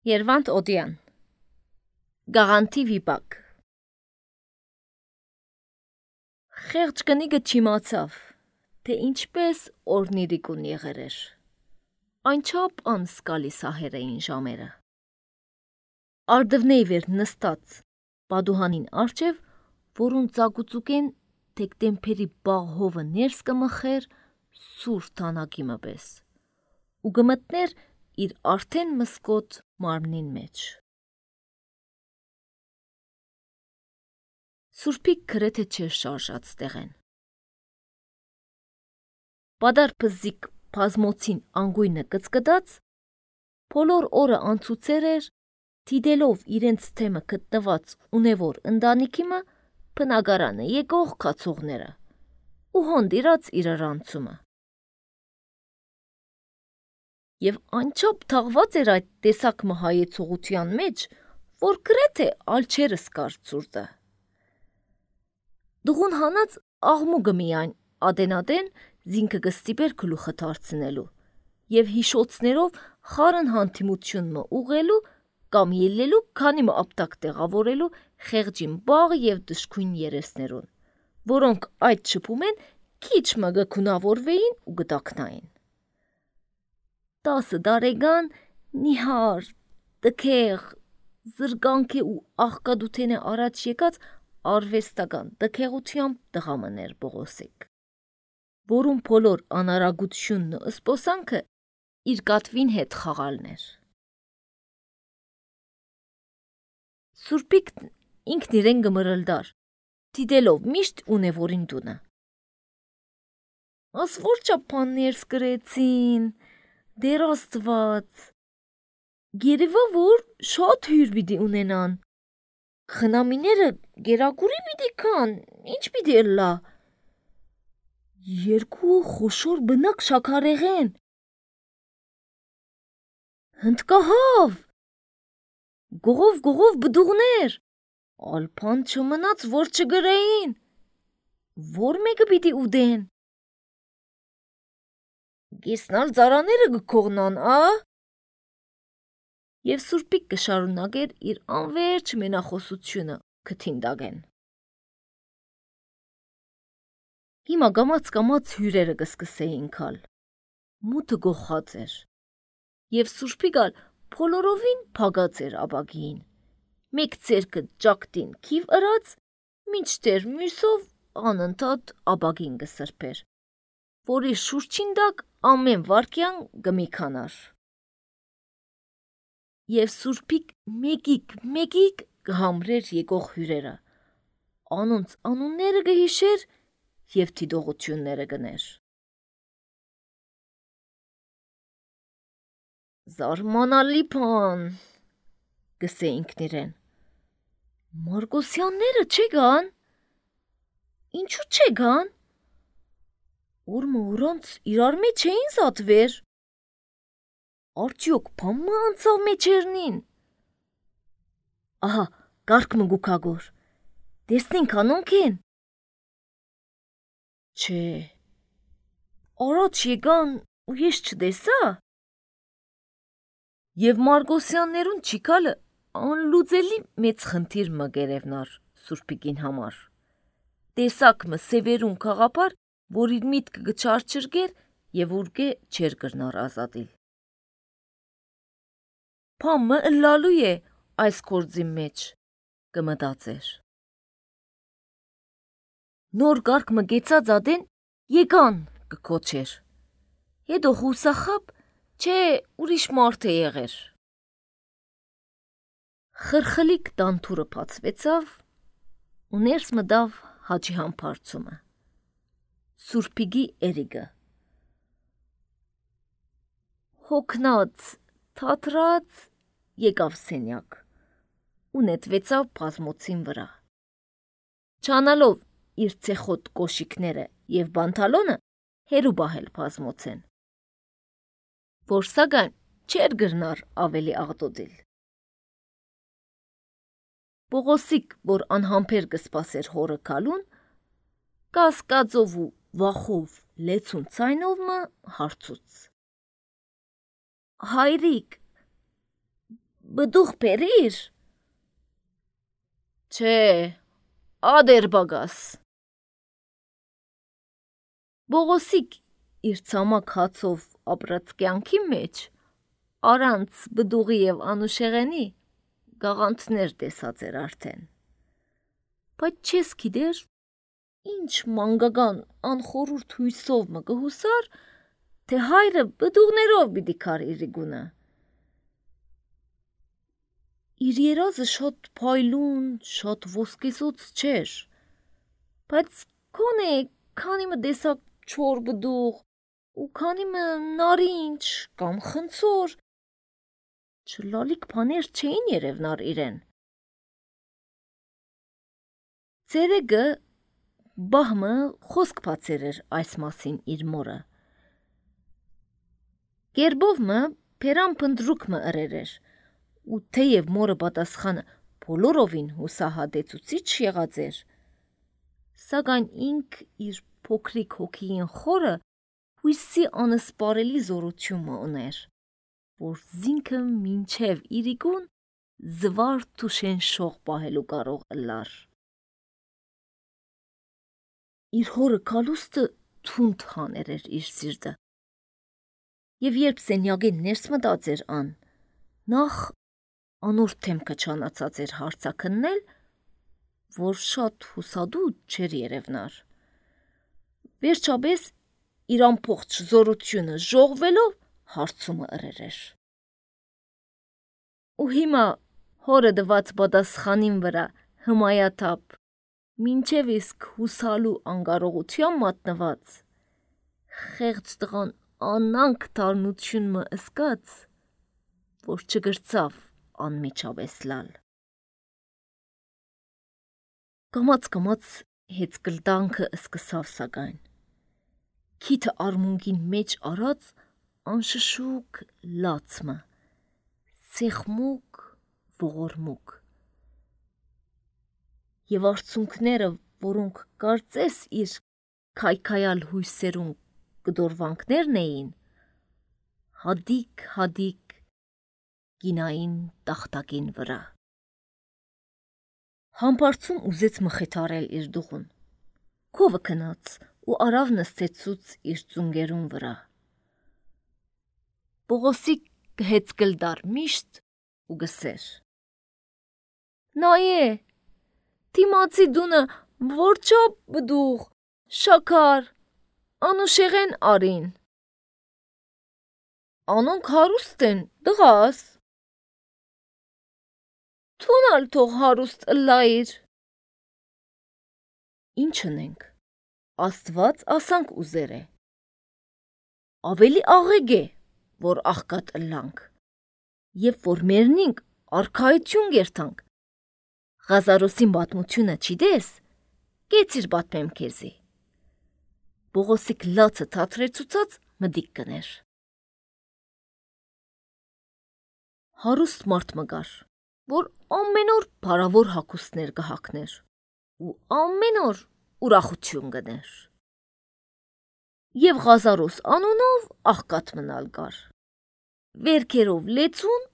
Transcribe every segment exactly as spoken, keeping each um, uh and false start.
Երվանդ Օդյան Գաղանթի վիպակ Խեղճ կնիգը չիմացավ, թե ինչպես օրնիրիկուն եղեր էր, այնչապ անսկալի սահեր էին ժամերը։ Արդվնեյ վեր նստած պադուհանին արջև, որուն ծագուծուկեն թեկտեմփերի բաղ հովը ներս կմխեր սուր թանագի մպես, ու գմտներ իր արդեն մսկոտ մարմնին մեջ։ Սուրպիկ գրեթե չէր շարժած տեղեն։ Պադար պզիկ պազմոցին անգույնը կծկդած, փոլոր օրը անցուցեր էր, դիդելով իրենց թեմը գտնված ունևոր ընտանիքիմը բնագարանը եկող կացողները ու հոնդիրած իրարանցումը։ Եվ անչափ թաղված էր այդ տեսակ մհայեցողության մեջ, որ գրեթե ալչերս կար ծուրտը։ Դուղուն հանած աղմուգը միայն ադենադեն զինքը գստիպեր գլուխը թարցնելու և հիշոցներով խարն հանդիմությունմը ուղելու կամ ելլելու քանի մը ապտակ տեղավորելու խեղճին բաղ և դժգույն երեսներուն, որոնք այդ շփումեն քիչ մը գքունավորվեին ու գտակնային։ Տասը դարեգան նիհար, տքեղ, զրկանք է ու աղկադութեն է առաջ եկած արվեստական տքեղությամբ տղամներ Բողոսիկ, որում փոլոր անարագությունն ու ըսպոսանքը իր կատվին հետ խաղալներ։ Սուրպիկ ինքն իրեն գմրլդար, դիդելով միշտ ունևորին դունը։ Աս որ չապաններս կրեցին, դեր աստված, գերևա որ շատ հյուր պիտի ունենան, խնամիները գերագուրի պիտի կան, ինչ պիտի ըլլա, երկու խոշոր բնակ շաքարեղեն, հնդկահավ, գողով գողով բդուղներ, ալպան չմնաց, որ չգրեին, որ մեկը պիտի ուդեն, գեսնալ ծարաները գքողնան, ա… Եվ Սուրպիկ կշարունակեր իր անվերջ մենախոսությունը կթինդագեն։ Հիմա գամած-կամած հյուրերը կսկսեին կալ, մութը գողած էր, և Սուրպիկալ փոլորովին փագած էր աբագին, մեկ ծերքը ճակտին քիվ ըրած, մինչդեռ մյուսով անընդհատ աբագին կսրբեր, որի շուրջին դակ ամեն վարկյան գմիքանար։ Եվ Սուրպիկ մեկիկ-մեկիկ կհամրեր եկող հյուրերը, անոնց անունները կհիշեր և դիդողությունները կներ։ Զարմանալի բան, գսե ինքն իրեն, Մարգոսյանները չեգան, ինչու չեգան, ուրմը ուրանց իրար մեջ էին զատվեր, արդյոք բամը անցավ մեջերնին, ահա կարգ մը գուքագոր, տեսնենք անոնք են, չէ, առաջ եկան ու ես չտեսա, և Մարգոսյաններուն չիկալը անլուծելի մեծ խնդիր մը գերևնար Սուրպիկին համար, տեսակ մը սևերուն կաղապար, որ իր միտքը գչարչրգեր և ուրգե չեր կրնար ազատիլ։ Փամը ըլլալու է այս կործի մեջ, կմտածեր։ Նոր կարգ մը գեցած ադեն եկան կքոչեր, հետո խուսախապ, չէ ուրիշ մարդ է եղեր։ Խրխլիկ տանթուրը պացվեցավ ու ներս մտավ հաջի համբարձումը, Սուրպիգի էրիգը։ Հոգնած, թատրած եկավ սենյակ ու նետվեցավ բազմոցին վրա։ Չանալով իր ցեխոտ կոշիկները և բանթալոնը հերու բահել բազմոցեն, որ սակայն չեր գրնար ավելի աղտոտիլ։ Բողոսիկ, որ անհամբեր կսպասեր հորը կալուն, կասկածով ու վախով լեցուն ցայնով մը հարցուց. Հայրիկ, բդուղ պերիր։ Չէ, ադեր բագաս։ Բողոսիկ իր ցամաք հացով ապրած կյանքի մեջ առանց բդուղի եւ անուշեղենի գաղանթներ տեսած էր արդեն։ Բայց չես գիտեր ինչ մանգական անխորուրդ հույսով մը կհուսար, թե հայրը բդուղներով պիտի քար իրի գունը։ Իր երազը շատ փայլուն, շատ ոսկեսոց չէր, բայց քոնե քանի մը տեսակ չոր բդուղ ու քանի մը նարինջ կամ խնձոր չլալիք բաներ չէին երևնար իրեն։ Ցերեգը բահմը խոսք բացեր էր այս մասին իր մորը։ Գերբով մը փերան փնդրուկ մը ըրեր էր, ու թեև մորը պատասխանը բոլորովին հուսահատեցուցիչ եղած էր, սակայն ինք իր փոքրիկ հոգին խորը հույսի անսպարելի զորություն մը ուներ, որ զինքը մինչև իրիկուն զվարթ ու շենշող պահելու կարող ըլլար։ Իր հորը կալուստը թունդ հաներ էր իր սիրտը։ Եվ երբ սենյակին ներս մտած էր ան, նախ անոր թեմքը չանացած էր հարցակննել, որ շատ հուսադուտ չէր երևնար։ Վերջապես իր ամբողջ զորությունը ժողվելով հարցումը ըրեր էր։ Ու հիմա հորը դված պատասխանին վրա հմայաթափ մինչև իսկ հուսալու անգարողության մատնված, խեղճ տղան անանք դառնություն մը ըսկաց, որ չգրծավ անմիջապես լալ։ Կամաց-կամաց հեծկլտանքը սկսավ սակայն, քիթը արմունկին մեջ արած անշշուկ լացմը, սեղմուկ ողորմուկ։ Եվ արցունքները, որոնք կարծես իր քայքայալ հույսերուն կդորվանքներն էին, հադիկ-հադիկ գինային տախտակին վրա։ Համբարձում ուզեց մխիթարել իր դուղուն, քովը քնած ու արավ նստեցուց իր ծունգերուն վրա։ Բողոսիկ հեծկլդար միշտ ու գսեր. Նայե, թիմացի դունը որչապ բդուղ, շաքար, անուշեղեն արին։ Անոնք հարուստ են, դղաս։ Թունալ թող հարուստ ըլլայիր։ Ինչ ընենք, Աստված ասանք ուզեր է։ Ավելի աղեգ է, որ աղկատ ըլլանք, և որ մերնինք արքայություն գերտանք։ Ղազարոսին բատմությունը չիդես, կեցիր բատմեմ քեզի։ Բողոսիկ լացը թատրեցուցած մդիկ կներ։ Հարուստ մարդ մգար, որ ամեն օր բարավոր հագուստներ կհագներ ու ամեն օր ուրախություն գներ։ Եվ Ղազարոս անունով աղկատ մնալ գար, վերքերով լեցուն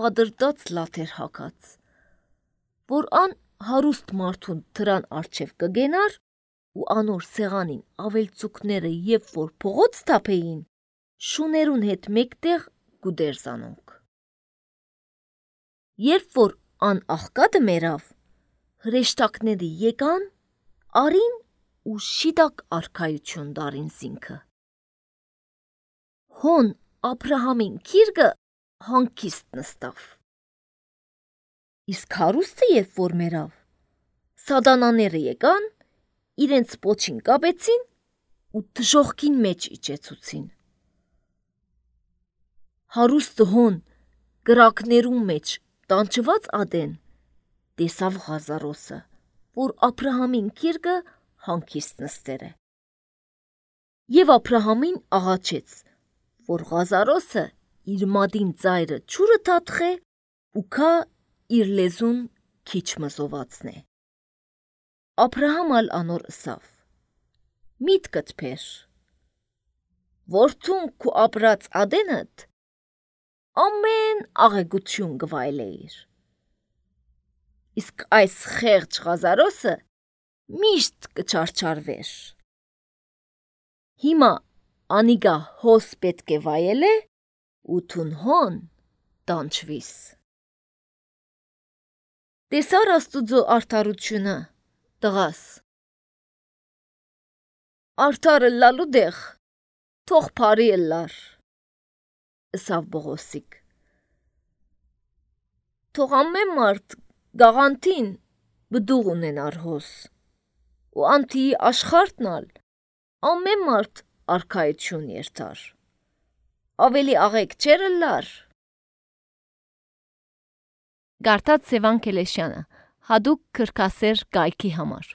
պատրտած լաթեր հագած, որ ան հարուստ մարդուն դրան արջև կգենար ու անոր սեղանին ավելցուկները և որ փողոց թափեին, շուներուն հետ մեկտեղ գուդեր զանոնք։ Երբ որ ան աղկատը մերավ, հրեշտակները եկան, արին ու շիտակ արքայություն դարին զինքը։ Հոն Աբրահամին քիրգը հանգիստ նստավ։ Իսկ հարուստը երբ որ մերավ, սադանաները եկան, իրենց պոչին կապեցին ու դժողքին մեջ իջեցուցին։ Հարուստը հոն գրակներուն մեջ տանջված ադեն, տեսավ Ղազարոսը, որ Աբրահամին քիրգը հանգիստ նստեր է։ Եվ Աբրահամին աղաչեց, որ Ղազարոսը իր մադին ծայրը չուրը թաթխե ու քա իր լեզուն քիչ մզովացն է։ Աբրահամ ալ անոր ըսավ. Միտքդ փեր, որդուն քու ապրած ադենդ ամեն աղեգություն գվայելեիր։ Իսկ այս խեղճ Ղազարոսը միշտ կչարչարվեր։ Հիմա անիգա հոս պետք է վայելե ու թուն հոն տանչվիս։ Տեսար Աստուծո արդարությունը, տղաս։ Արդարը լալու դեղ թող փարի լար, ըսավ Բողոսիկ։ Թող ամեն մարդ գաղանթին բդուղ ունենար հոս, ու անթիի աշխարհտնալ ամեն մարդ արքայություն երթար։ Ավելի աղեկ չեր լար։ Գարտած Սևան Քելեշյանը, հadoop քրքասեր կայքի համար։